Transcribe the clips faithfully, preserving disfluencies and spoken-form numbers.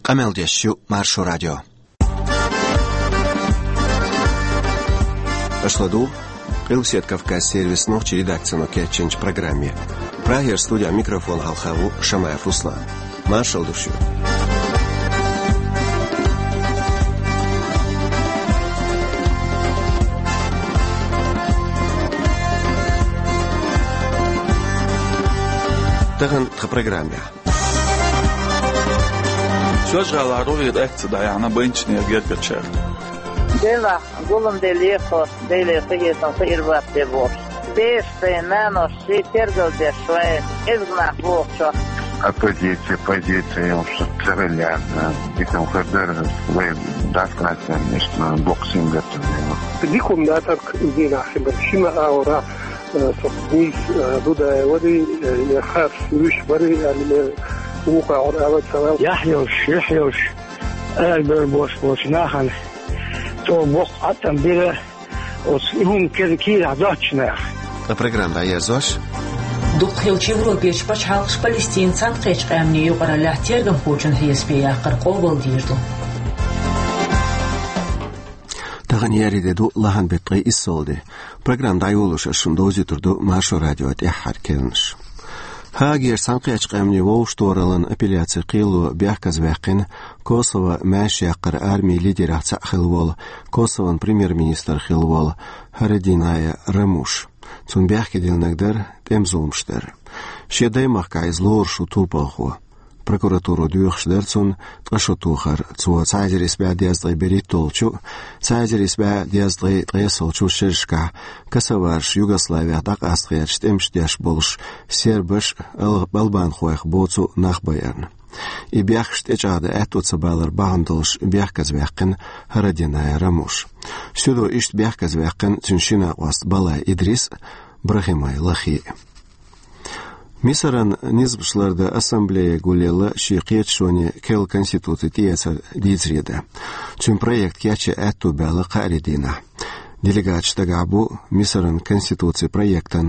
Къамел деш ю Маршо радио. Аша ладугӀу Къилбаседа Кавказан сервисан нохчийн редакцино кечйинчу программе. Прагера студин микрофона хьалха ву Шамаев Руслан. Маршалла ду шуьга. Тахана тхан программехь. Соьлжа-ГӀалахь рогӀера акци дӀаяьхьна байначеран гергарчара. Делахь, гулам де лехо, Деле къинхетам хир бац те бохуш. Бераш, нанас шиъ тергал деш вай, кӀезиг нах бохучохь. Оппозиция, позиция, уж ца хилла яц, дика хир дара, вай дӀасакъастийна, иштта боккха сингаттам. Дика хӀума дац-кх иза дийнахь хилар, шина агӀора. Э, со Гуйс, э, Дудаев варий, э, я Харс вуьш варий, аьлла, вукху агӀор ала ца ваьлла. Яхь йолуш, юьхь йолуш, ала бер бош болчу нахана цо боккха Ӏаткъам бира оцу и хӀума кер-, кийрахь доцучу наха. Ткъа программа дӀаерзош. Дукхахйолчу Европерчу пачхьалкхаша Палестинан Цхьаьнакхеттачу Къаьмнийн юкъараллехь тергамхочун хьесапе яккхар къобалдийр ду. Тахана еарин де ду, лахьан беттан ткъе иссалгӀа де. Программа дӀайолош ас шуна довзуьйтур ду Маршо радион тӀаьххьара керланаш. Гаагерчу Цхьаьнакхеттачу Къаьмнийн вовшахтохараллин апелляцин кхело бехказаваьккхина Косове маьрша яккхаран армин лидерех цхьаъ хилла волу, Косован премьер-министр хилла волу Харадинай Рамуш. Цунна бехке диллинарг дара тӀеман зуламаш дар. Шен даймахкахь иза лоруш ву турпалхо. Прокуратуро доьхуш дара цунна ткъа шо тохар. Цо цхьа эзар исс бӀе дезткъе берхӀитталгӀачу, цхьа эзар исс бӀе дезткъе ткъайоьсналгӀачу шерашкахь косовараш Югославех дӀакъаста гӀерташ тӀемаш деш болуш сербаш а, ал-, албанхойх боцу нах байарна. И бехкаш тӀечӀагӀдан аьтто ца балар бахьана долуш бехказаваьккхина Харадинай Рамуш. Суьдо иштта бехказаваьккхина цуьнан ши накъост Балай Идрис а, Брахимай Лахи а. Мисаран низамаш лардан ассамблея гулъелла шен кхеташоне керла конституци тӀеэцар дийцаре дан. Цуьнан проект кечъян аьтто баьлла кхаарин дийнахь. Делегаташ дагахь бу Мисаран конституцин проектан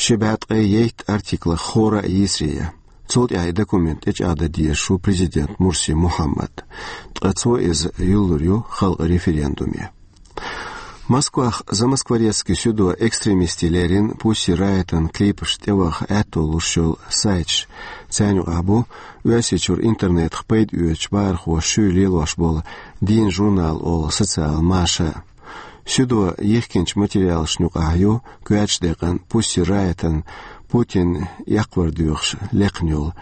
ши бӀе ткъе итт артиклах хӀора а йийсаре ян. Цул тӀаьхьа и документ тӀечӀагӀдан дезаш ву президент Мурси Мухьаммад. Ткъа цо иза юллур ю халкъан референдуме. Москвахь Замоскворецкий суьдо экстремистийн леррина Пусси Райтан клипаш тӀеваха аьтто луш йолу сайташ. Царна юкъахь бу Оьрсийчуьра интернетах пайда оьцучу бахархоша шуьйра лелош болу Дийнан журнал олу социал маша. Суьдо йихкинчу материалашна юкъахь ю коьртачу декъана Пусси Райтан Путинна эккхавар доьхуш лекхна йолу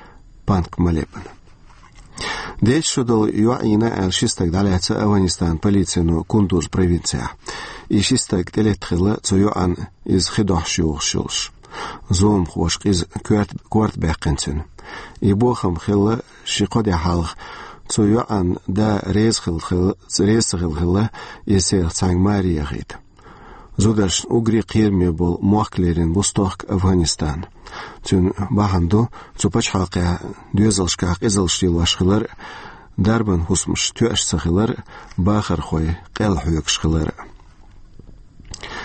панк-молебен. Деза шо долу йоӀ йина аьлла ши стаг дӀалаьцна Афганистанан полицино Кундуз провинцехь. И ши стаг тӀелетта хилла, цу йоӀана иза хи дохьуш йохуш йолуш. Зуламхоша къиза коьрта, корта баьккхина цуьнан. И бохам хилла ши-кхо де хьалха, цу йоӀан да реза хилла хилла, реза ца хилла хилла, иза царах цхьаьнга маре яхийта. Зударшна уггаре кхераме болу мохк лерина бу стохка Афганистан. Цуьнан бахьана ду цу пачхьалкхехь доьзалшкахь къизаллаш лелош хилар а, дарбан хӀусамаш тоьаш ца хилар а, бахархой къел хьоьгуш хилар а.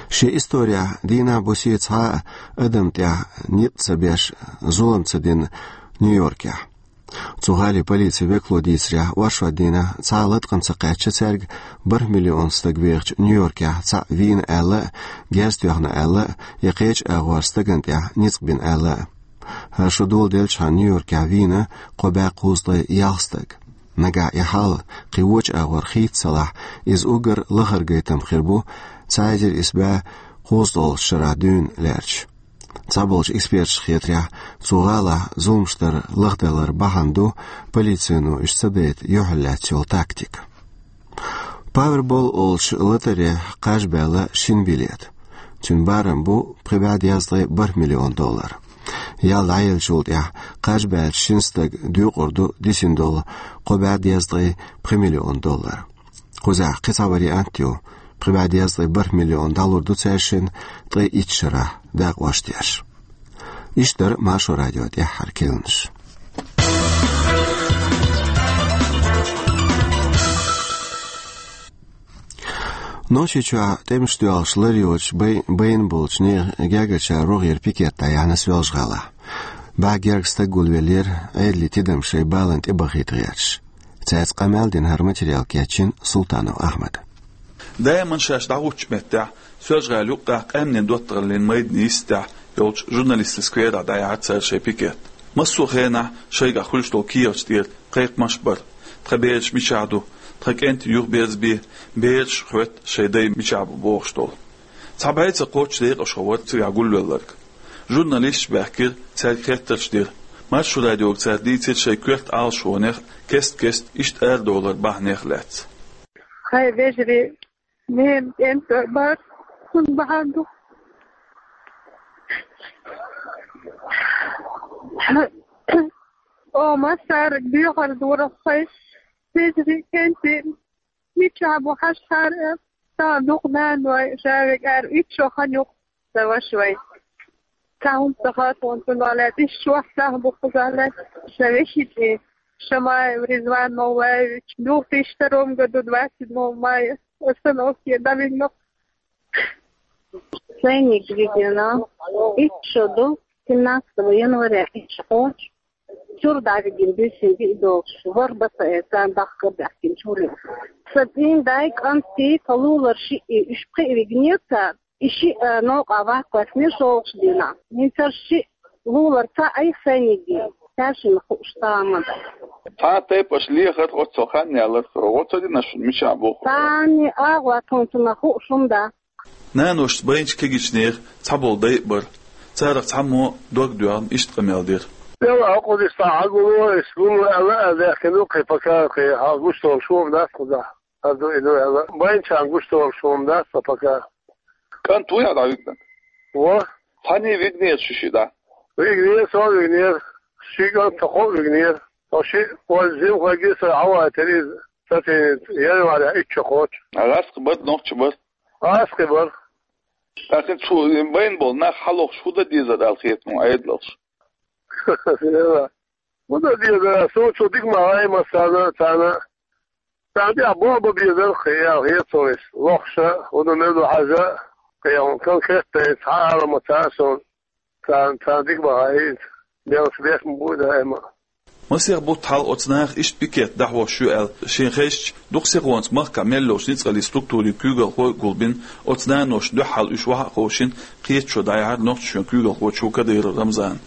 Шен исторехь дийнахь-бусе цхьа а адам тӀехь ницкъ ца беш, зулам ца дина Нью-Йоркехь. Цу гӀалин полицин векало дийцарехь, оршот дийнахь цхьа а латкъам ца кхаьчна цаьрга бархӀ миллион стаг вехачу Нью-Йоркехь цхьаъ вийна аьлла а, герз тоьхна аьлла а, я кхечу агӀор стагана тӀехь ницкъ бина аьлла а. ХӀара шо доладелчхьана Нью-Йоркехь вийна кхо бӀе кхузткъе ялх стаг. Нагахь и хьал кхин вочу агӀор хийца ца лахь, иза уггар лахара гайтам хир бу цхьа эзар исс бӀе кхузткъалгӀачу шарахь дуьйна лаьрча. Цхьаболчу эксперташа хетарехь, цу гӀалахь зуламаш дар лахдалар бахьана ду полицино уьш ца дайта юьхьарлаьцна йолу тактика. Павербол олучу лотерейхь кхаж баьлла шина билет. Цуьнан барам бу пхи бӀе дезткъе бархӀ миллион доллар. Ял дӀаеллачул тӀаьхьа кхаж баьллачу шина стага дуьйкъур ду дисина долу кхо бӀе дезткъе пхи миллион доллар. Кхузахь кхин цхьа вариант ю: пхи бӀе дезткъе бархӀ миллион дӀалур ду цаьршинна ткъе итт шарахь дакъош деш. Иштта дара Маршо радион тӀаьххьара керланаш. Нохчийчохь тӀемаш доьлхуш лар йоцуш бай-, байна болчу нехан гергарчара рогӀера пикет дӀаяьхьна Соьлжа-ГӀалахь. БӀе гергга стаг гулвеллера Ӏедалан тидам шайн баланна тӀебахийта гӀерташ. Цаьрца къамел дина хӀара материал кечйина Султанов Ахьмада. Даиман шаьш дӀахӀуттучу меттехь, Соьлжа-ГӀалин юккъехь къаьмнийн доттагӀаллин майданан йистехь йолчу журналистийн скверехь дӀаяьхьира цара шайн пикет. Массо а хенахь шайгахь хуьлуш долу кехаташ тӀера кхайкхамаш а бара: «Тхан бераш мичахь ду? Тхан кӀентий юхаберзабе, бераш хоьтту шайн дай мичахь бу», бохуш долу. Цхьа бӀе ца кхоччуш декъашхо вара цигахь гулвелларг. Журналисташ баьхкира, цаьрга хеттарш дира. Маршо радиога цара дийцира шайн коьрта Ӏалашонех кест-кеста иштта арадовлар бахьанех лаьцна. Хай вежарий, ненан кӀентий бара, цунна бахьана ду. О, массарга доьхар дора хай вежарий, кӀентий. Мичахь бу хьажахьара, сан дукха наной, ша вега ара итт шо хан ю-кх сан ваша вай. Цхьа хӀума ца хаьа тхуна цунах лаьцна, иштта шортта сахьт бу кхузахь лаьцна, сан вешин цӀе, Шамаев Ризван Мавлаевич, две тысячи втором году, двадцать седьмого мая, остановке дӀавигна-кх. Сайниг вигина, итт шо ду, семнадцатого января итт шо кхочу. Чуьра дӀавигина буьйсанна диъ долуш, ворхӀ баса э, царна дахкар баьхкина чуьра. Сан цӀийнан дай, кӀант, тхан лулара шиъ, уьш пхиъ вигинера цара, и шиъ, а, новкъахь ваккха лаьцнера шолгӀачу дийнахь. ХӀинца шиъ лулара цхьаъ, сайниг, цаьршинна хууш тахана ма ду. Цхьа а тайпа аша лехара оццул хан ялар, оццул дийнахь шуна мичахь боху? Цхьанне а агӀор тхуна цунах хууш хӀума дац. Наношца байначу кегийчу нехан цхьаболу дай а бара. Царах цхьаммо дог доьгӀна иштта къамел дира. Делахь, хӀокхуза иштта хьагуло, иштта гулло аьлла, аьлла, даьхкина ду кхин пока, кхин хьал гуш долуш хӀума дац кхузахь. Аса ду, и ду аьлла. Байначарна гуш долуш хӀума дац сан пока. КӀант вуй хьан дӀавигнарг? Во. Цхьанний вигнера шу шиъ дӀа? Вигнера, со вигнера. Ши кӀант, тхо кхоъ вигнера. Со шиъ, вайн зимхойги со хьавайтира иза. Сацийна января итт шо кхочу. ГӀаскхи бара, нохчи бара? ГӀаскхи бара. ТӀаккха цу байна болу нах хьалохуш хӀун дан дезара аьлла хета хьуна Ӏедалша? ХӀун дан дезара, суна цу дика ма хаьа массарна а царна. Царна тӀехь боху бан безара кхин аьлла хета суна иза. Лохуша, хӀун дан мел ду хьажа, кхин конкретно цхьа а ала ма ца хаьа суна. Царна, царна дика ма хаьа иза. Деллахь, бехк ма бу и даима. Масех бутт хьалха оцу наха иштта пикет дӀахьош ю аьлла шена хезча, дукха сихонца махкахь мел йолчу ницкъаллин структурийн куьйгалхой а гулбина, оцу наноша дуьххьал уьш охьа а ховшийна, кхеташо дӀаяьхьира Нохчийчоьнан куьйгалхочо Кадыров Рамзана.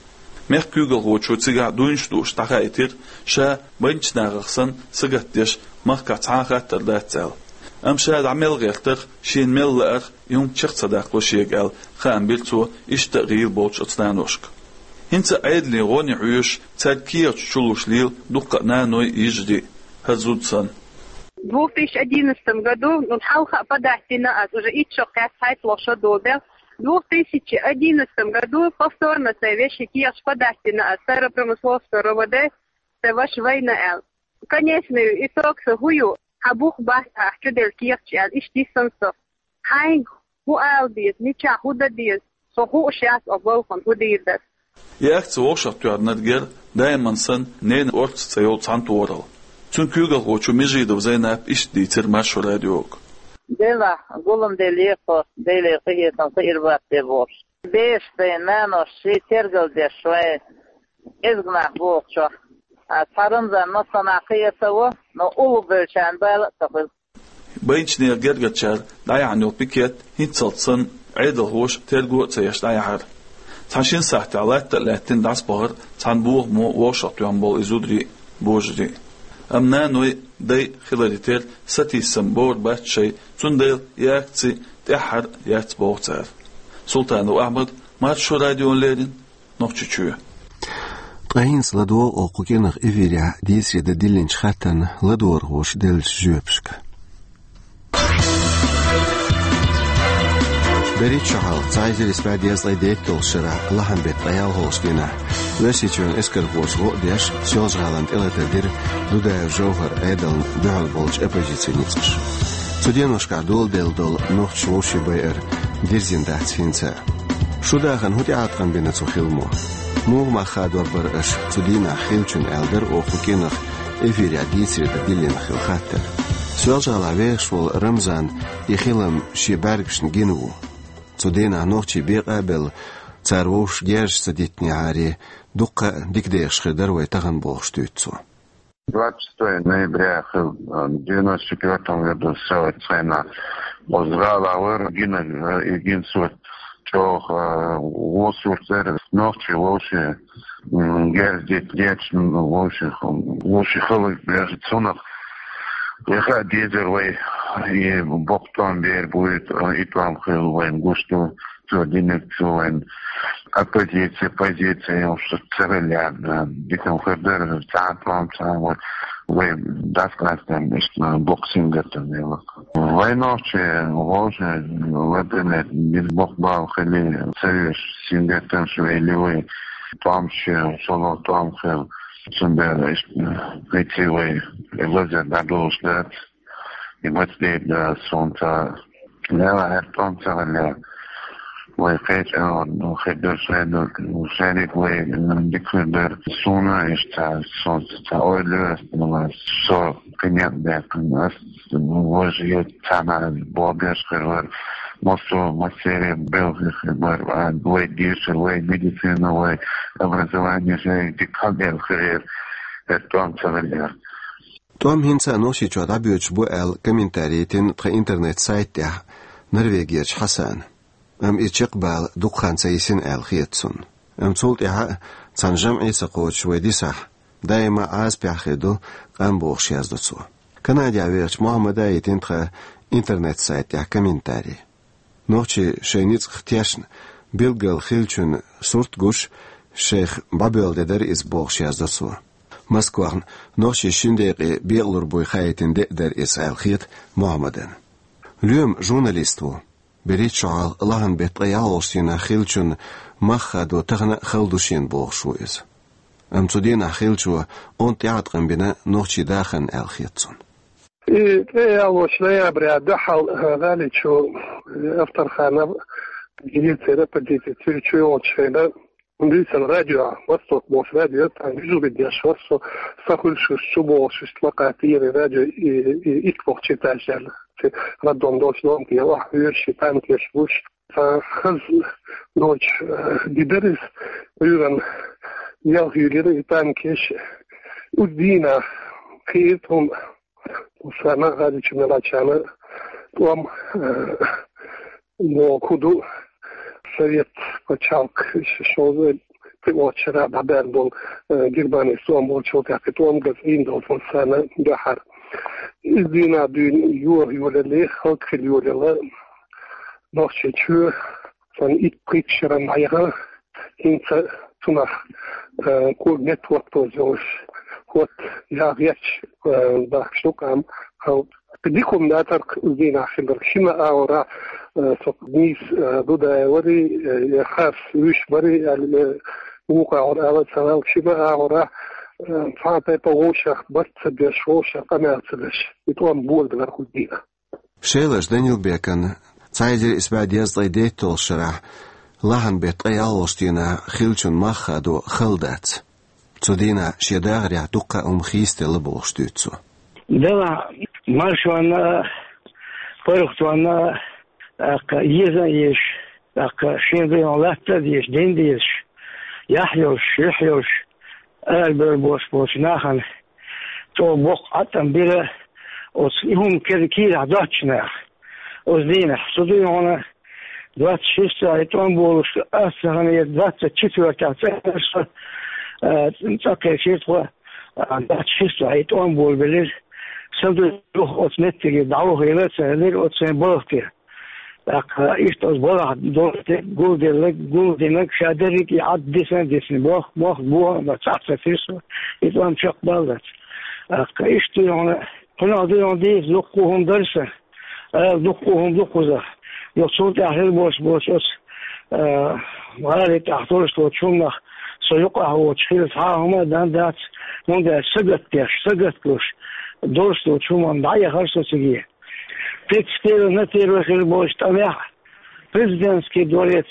Мехкан куьйгалхочо цигахь дуйнаш дууш дӀахаийтира, ша байначу нахах санна сагатдеш махкахь цхьа а хаттар дац аьлла. Амма ша дӀа мел гӀертарх, шена мел лаарх, и хӀума чекх ца даккхало шега аьлла, хаам бира цо иштта а гӀийла болчу оцу наношка. ХӀинца а Ӏедалан гӀоне хьоьжуш, цаьрга кехаташ чулуш лела дуккха а наной, йижарий а, хӀара зуда санна. В две тысячи одиннадцатом году, ну, хьалха а подать дина ас, уже итт шо кхаьчча, цхьайтталгӀа шо долу де. В две тысячи одиннадцатом году повторно сайн вешин кехаташ подать дина ас, Старопромысловская РОВД, сайн ваша вайна аьлла. Конечный итог сан хӀун ю, хьан бух бац ахь чуделла кехаташ аьлла, иштта йиссина со. Хьайга хӀун ала деза, мичахь хӀун дан деза, со хууш яц оха балхана хӀун дийр дара. И акци вовшахтоьхнарг яра, даиман санна, «Ненан орца» цӀе йолу цхьана тохаралла. Цуьнан куьйгалхочо Межидова Зайнапа иштта дийцира Маршо радиога. Делахь, гулам делла ехо, Деле къинхетам, кхиир бац те бохуш. Бешаш дайн нанош ший тергал деш вайн кӀезиг нах бохучохь, а цхьа Рамзан массанхьа кхиа ца во, но уллу бевллачарна бала а ца хуьлу. Байначеран гергарчара дӀаяьхьна йолу пикет хӀинццалц санна, Ӏедалхоша терго а ца еш дӀаяьхьира. Цхьа шина сахьтехь латта а лаьттина дӀасабахара цхьана бохамо вовшахтоьхна болу и зударий а, божарий а. Амма наной а, дай а хиларе терра сатийсам бовр бац шайн, цундела и акци тӀаьххьара яц боху цара. Султанов Ахьмад, Маршо радиона леррина, Нохчийчоь. Ткъа хӀинца ладогӀа оха кху кӀирнах эфирехь дийцаре дан диллинчу хаттарна ладогӀархоша деллачу жоьпашка. БерхӀитта шо хьалха, цхьа эзар исс бӀе дезткъе дейтталгӀачу шарахь, лахьан беттан ткъе ялхалгӀачу дийнахь, Оьрсийчоьнан эскархоша гӀо а деш, Соьлжа-ГӀалана тӀелатар дира Дудаев ЖовхӀара Ӏедална дуьхьал болчу оппозицин ницкъаша. Цу деношкахь доладелла долу нохчаша вовшийн байар дирзина дац хӀинца а. Шун дахарна хӀун тӀеӀаткъам бина цу хиламо? Муха мах хадор бара аша цу дийнахь хиллачунна, аьлла дара оха кху кӀирнах эфирехь дийцаре дан диллина хилла хаттар. Соьлжа-ГӀалахь вехаш волу Рамзан и хилам шен бӀаьргашна гина ву. Цу дийнахь нохчий бекъа а белла, цара вовшашка герзаш ца диттинехьара, дуккха а дика дехаш хир дара вай тахана, бохуш дуьйцу цо. Двадцать шестого ноября хилла, э, девяносто четвёртом году савет цхьана. Оз гӀала вар гина, э, и гин сурт чӀоагӀа, э, во сурт яр, нохчий вовши, м, герз дит дечн вовши, вовши хилар бежа цунах. Яха дезар вай, и бокъ тӀом бер буйт, э, и тӀом хилла вайна гуш ду. Цо динарг цо вайн оппозиция, позиция, йолуш царал яьнна, дикан хир дара, цхьа а тӀом, цхьа а вот, вай дас-кхаьстам иштта бокъ сингаттам мела. Вай нохчий, вовши, вай динарг, бокъ бала хили, ца веш сингаттамаш вели вай, тӀом шен, шолгӀа тӀом хир, цундела иштта, кхечи вай, лазар дӀадолуш дац. И маца дийр да, суна ца лела, хӀара тӀом ца хилла. Вай кхеча, ну, хир дара шайна, шайниг вай, м, дика хир дара. Суна иштта ца, суна ца ойла, ну, со кхинет беккхина, ас, ну, важа цхьана бобеш хир вар. Массо, массеран белхи хир вар, а, вай дешар, вай медицина, вай образование, шайн дика хьалбелхар, хӀара тӀом ца хилла. ТӀом хӀинца а Нохчийчохь дӀабоьдуш бу аьлла, комментарий йитина тхан интернет-сайт тӀехь Норвегерчу Хьасана. Амма и чекхбала дукха хан ца йисина аьлла хета цунна. Амма цул тӀаьхьа а цхьана жамӀе а ца кхочуш вай дисахь, даима а Ӏазапехь хир ду къам бохуш яздо цо. Канадехь вехачу Мохьмада а йитина тхан интернет-сайт тӀехь комментарий. Нохчий шайн ницкъах тешна билггал хиллачун сурт гуш, шайх бӀобелла де дара иза бохуш яздо цо. Москвахна нохчий шина декъе бекъалур буй хаийтина де а дара иза аьлла хета Мохьмадана. Лоьма журналист ву. БерхӀитта шо хьалха лахьан беттан ткъе ялхолгӀачу дийнахь хиллачун мах хадо тахана а хала ду шена бохуш ву иза. Амма цу дийнахь хиллачо онда тӀеӀаткъам бина нохчий дахарна аьлла хета цунна. И ткъе ялхолгӀачу ноября дуьхьал, э, гӀали чу, э, Авторханов, герецера оппозиция, цуьра чу йолчу хенахь, дуьйцан радио, Восток бохуш радио, там вижу, ведь я шо, со, со хуьлуш чу бохуш, иштта лакхара тӀера радио, и, и, итт бохучу этажера, ци роддом долчу дом тӀера, охьа хьоьжуш, и танкеш гуш, цхьа хаза ночь, э, дидара иза, Ӏуьйранна ялх юьлира и танкеш, уьш дийнахь хиира тхуна. Сан гӀадичу мелачана тӀом, э, боху ду, совет пачхьалкх шозза тӀеоццу шарахь дӀабаьлла болу, э, Германис тӀом болчул тӀаьхьа тӀом газа ийна долу сан дуьхьара. Иза дийнахь дуьйна йоха йолале, хӀаллак хила йолаелла Нохчийчоь. Сан итт-пхийтта шеран дӀаяхана, хӀинца цунах, э, кога метта хӀотто йолуш, хӀотта ялх гӀерташ, э, бахкаш ду къам халкъ. Дика хӀума дацара-кх уьш дийнахь хилларг. Шина агӀора, э, со нийса, э, Дудаев варий, э, я харц вуьш барий аьлла, э, вукху агӀор ала ца ваьлла, шина агӀора, э, цхьа а тайпа вовшах барт ца беш, вовшах къамел ца беш, и тӀом болабелира-кх уьш дийнахь. Шелаш Данилбекана цхьа эзар исс бӀе дезткъе дейтталгӀачу шарахь лахьан беттан ткъе ялхолгӀачу дийнахь хиллачун мах хадо хала дац. Цу дийнахь шен дахарехь дуккха а хӀума хийцаделла бохуш дуьйцу цо. Делахь маршонна а, паргӀатонна а, тӀаккха еза а езаш, тӀаккха шен дуьйна латта а дезаш, дин а дезаш, яхь йолуш, юьхь йолуш, арабевлла болуш болчу нахана чӀогӀа боккха Ӏаткъам бира оцу и хӀума кер-, кийрахь доцучу наха. Оцу дийнахь, со дуьйна хьуна, двадцать шестого и тӀом болуш, ас ца ханера двадцать четвёртого цӀа, э, цӀа кхечира тхо, а, двадцать шестого и тӀом болабелира. Сан дуьйна юха оцу меттиге дӀавахийла а ца хилира оцу сайн балха тӀе. ТӀаккха иштта оцу балхахь долуш дерг, гулделларг, гулдинарг ша дерриг и Ӏад дисан а дисина, мох, мох бохам а бац, цхьаъ ца тирсо, и тӀом чекхбаллалц. ТӀаккха иштта дуьйна хьуна, кхунах дуьйна дийца дуккха а хӀума дара сан, ала дуккха а хӀума ду кхузахь. Юха цул тӀаьхьа хила болуш болчу оцу, а, гӀали тӀехь долуш долчу хӀуманах со юкъахь воцуш хила цхьа а хӀума а дан дац, хӀунда аьлча сагатдеш, сагатдеш долуш долчу хӀуманна дӀаяхара со циге. Пиццкера на первый хир болчу тӀамехь, Президентский дворец,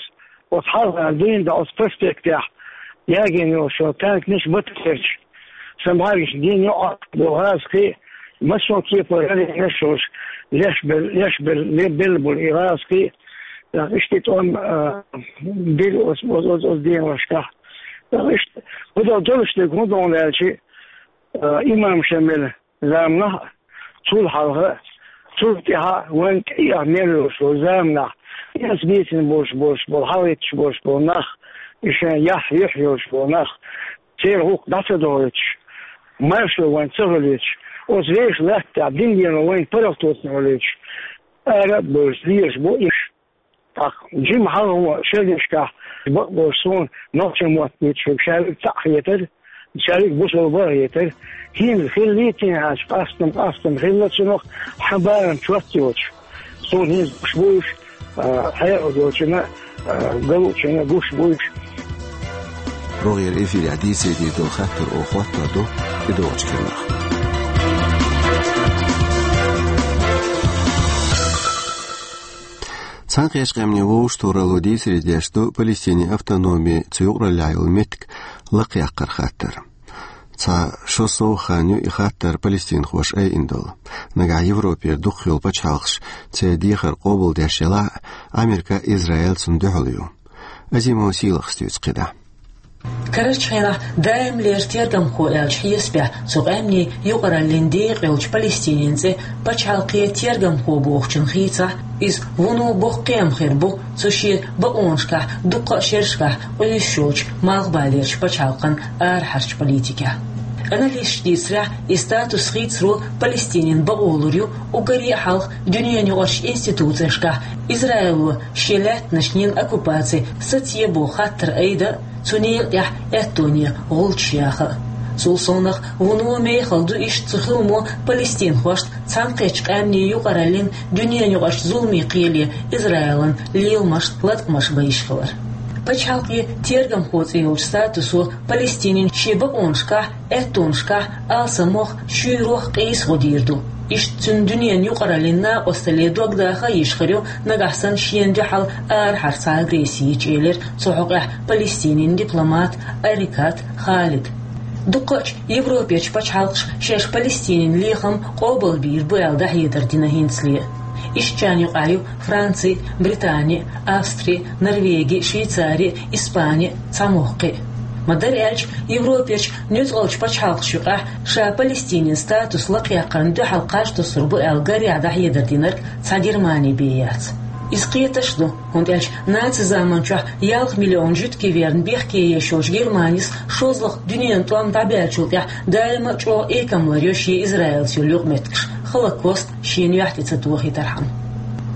оцу хьалха дуьйна дан оцу проспектехь, ягийна йолуш йолу танкнаш, батарейш, сан бӀаьргаш дин йоӀ долу гӀазкхий, массо а кепара гӀалинаш йолуш, леш бел-, леш бел-, белла болу и гӀазкхий, тӀаккха иштта тӀом, а, бира оцу, оцу, оцу, оцу деношкахь. ТӀаккха иштта, хӀун долуш дерг хӀун ду аьлча, Э, имам Шамил заманахь, цул хьалха, цул тӀаьхьа вайн кӀиах мел йолуш волу заманахь, иза бийцина болуш, болуш болу, хьалаитташ болуш болу нах, и шайн яхь юьхь йолуш болу нах, церан гӀуллакх дӀа ца дохуьйтуш, маршо вайн ца хуьлуьйтуш, оцу вешан латтехь дин дено вайн паргӀато ца хуьлуьйтуш, ара а бевзаш, лелаш бу уьш. ТӀаккха жима хьалхо шерашкахь бакъболуш суна нохчийн мотт бийцича, ша верг цхьаъ хетара, ша верг бусалба хетара. ХӀинца хиллий те хьаьжча, къастам, къастам хилла цунах, хьан барам чот йоцуш. Суна хӀинца гуш бу уьш, а, хьекъал долчунна, а, галучунна гуш бу уьш. РогӀера эфирехь дийцаре дийр долу хаттар оха хӀоттор ду тӀедогӀучу керлахь. Цхьаьнакхеттачу Къаьмнийн Вовшахтохаралло дийцаре деш ду Палестинин автономи, цу юкъараллехь йолу меттиг лакхъяккхаран хаттар. Цхьа шо сов хан ю и хаттар палестинхоша айина долу. Нагахь Европера дукхах йолу пачхьалкхаш церан дехар къобалдеш елахь а, Америка а, Израиль а цунна дуьхьал ю. Азимова Сийлахьас дуьйцу кхидӀа. Карарчу хенахь даимлера тергамхо аьллачу хьесапехь цу къаьмнийн юкъараллин декъа йолчу Палестинин цӀе пачхьалкхе тергамхо бохучун хийцахь, иза вуно боккха кхиам хир бу цу шен бакъонашкахь дуккха а шерашкахь къуьйсуш йолчу Малхбалерчу пачхьалкхан арахьарчу политикехь. Аналисташа дийцарехь, и статус хийцаро Палестинин бакъо лур ю уггаре а хьалха дуьненаюкъарчу институцешкахь Израило шен лаьттанашна йина оккупаци сацае боху хаттар айда а, цу некъа тӀехь аьттоне гӀулчаш яха а. Цул совнаха, вуно мехала ду иштта цу хиламо палестинхошна Цхьаьнакхеттачу Къаьмнийн юкъараллин дуьненаюкъарчу зуламийн кхеле Израилан леламашна латкъамаш бан йиш хилар. Пачхьалкхе тергамхо цӀе йолчу статусо Палестинин шен бакъонашкахь, аьттонашкахь алсамох, шуьйрох къийса гӀо дийр ду. Иштта цуьнан дуьненан юкъараллин накъосталле дог даха а йиш хир ю, нагахь санна шена дуьхьал арахьара цхьа агресси йича, элира цу хьокъехь Палестинин дипломат Арикат Халид. Дуккхачу Европерчу пачхьалкхаша шаьш Палестинин лехам къобалбийр бу аьлла дӀахьедар дина хӀинцале. Ишттачарна юкъахь ю Франци, Британи, Австри, Норвеги, Швейцари, Испани, цхьа мохк кхин а. Ма-дарра аьлча, Европерчу нуьцкъалчу пачхьалкхаша юкъахь ша Палестинин статус лакхъяккхарна дуьхьал кхаж туссур бу аьлла гарехь дӀахьедар динарг цхьа Германи бен яц. Иза кхеташ а ду, хӀунда аьлча наци заманчохь ялх миллион жуьгтий верна бехке еш йолчу Германис шолгӀа дуьненан тӀом дӀабаьллачул тӀаьхьа даима а чӀогӀа экамлар йо шен Израилца йолу юкъаметтигаш, Холокост шена юьхь тӀе ца тохийтархьама.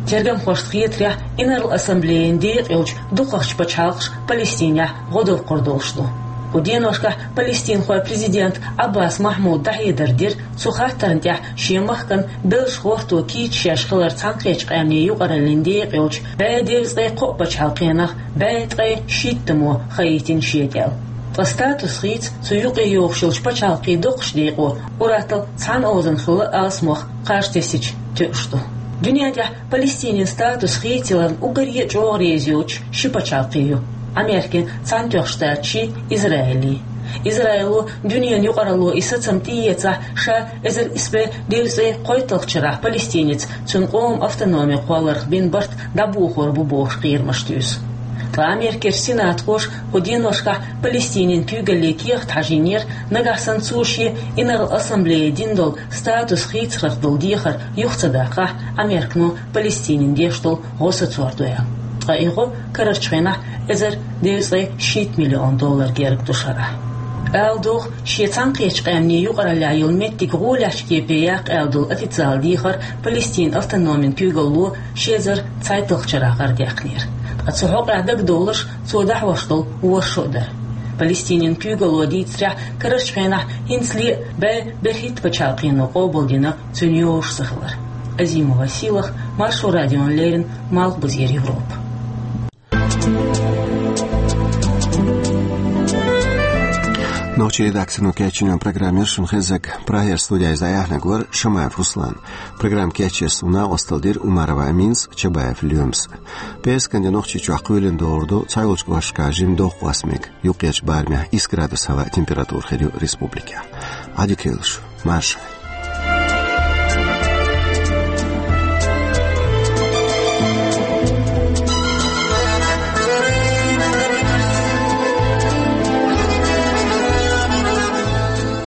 Тергамхошна хетарехь, Инарла Ассамблеян декъа йолчу дукхахчу пачхьалкхаша Палестинехь гӀо доккхур долуш ду. Кху деношкахь палестинхойн президент Ӏаббас Махьмуда дӀахьедар дира, цу хаттарна тӀехь шен махкан белш гӀорто кийча шаьш хилар Цхьаьнакхеттачу Къаьмнийн юкъараллин декъа йолчу бӀе девзткъе кхоъ пачхьалкхенах бӀе ткъе шийттамо хаийтина шен кӀел. Ткъа статус хийца цу юкъе йогӀуш йолчу пачхьалкхийн доккхачу декъо ур-атталла цхьана озанна хилла алсамох кхаж тесча тоьуш ду. Дуьнен тӀехь Палестинин статус хийцаяларна уггаре а чӀогӀа реза йоцуш ши пачхьалкх ю: Америкин Цхьаьнатоьхначу Штаташи Израили. Израило дуьненан юкъаралло и сацам тӀеэцахь, ша эзар исс бӀе девзткъе кхойтталгӀачу шарахь Палестинеца цуьнан къоман автономи кхолларх бина барт дӀабохор бу бохуш кхерамаш туьйсу. Ткъа Америкерчу сенатхоша кху деношкахь Палестинин куьйгалле кехат хьажийнера, нагахь санна цо шен Инарла Ассамблея дина долу статус хийцарх долу дехар юха ца даккхахь, Американо Палестинина деш долу гӀо сацор ду аьлла. Ткъа и гӀо карарчу хенахь эзар девзткъе шийтта миллион доллар герга ду шарахь. Ала догӀу, шен Цхьаьнакхеттачу Къаьмнийн юкъараллехь йолу меттиг гӀолехьчу кепе яккха аьлла долу официалан дехар Палестинан автономин куьйгалло ши эзар цхьайтталгӀачу шарахь гӀарадаьккхинера. Ткъа цу хьокъехь дагадовларш, цо дӀахьош долу ворхӀ шо а дара. Палестинин куьйгалло дийцарехь, карарчу хенахь хӀинцале а бӀе берхӀитта пачхьалкхено къобалдина цуьнан йозуш ца хилар. Азимова Сийлахь, Маршо радиона леррина, Малхбузера Европа. Нохчийн редакцино кечйина программа яра шуна хезнарг. Прагера студехь иза дӀаяьхьнарг вара Шамаев Руслан. Программа кечъеш цунна накъосталла дира Умарова Аминас, Чабаев Лоьмас. ПӀераскан де Нохчийчохь кхоьлина догӀур ду цхьайолчу кӀошташкахь жимма доккха кхаьсмиг, юккъерчу барамехь исс градус хьала температура хир ю республикехь. Ӏадика йойла шун, марша Ӏойла.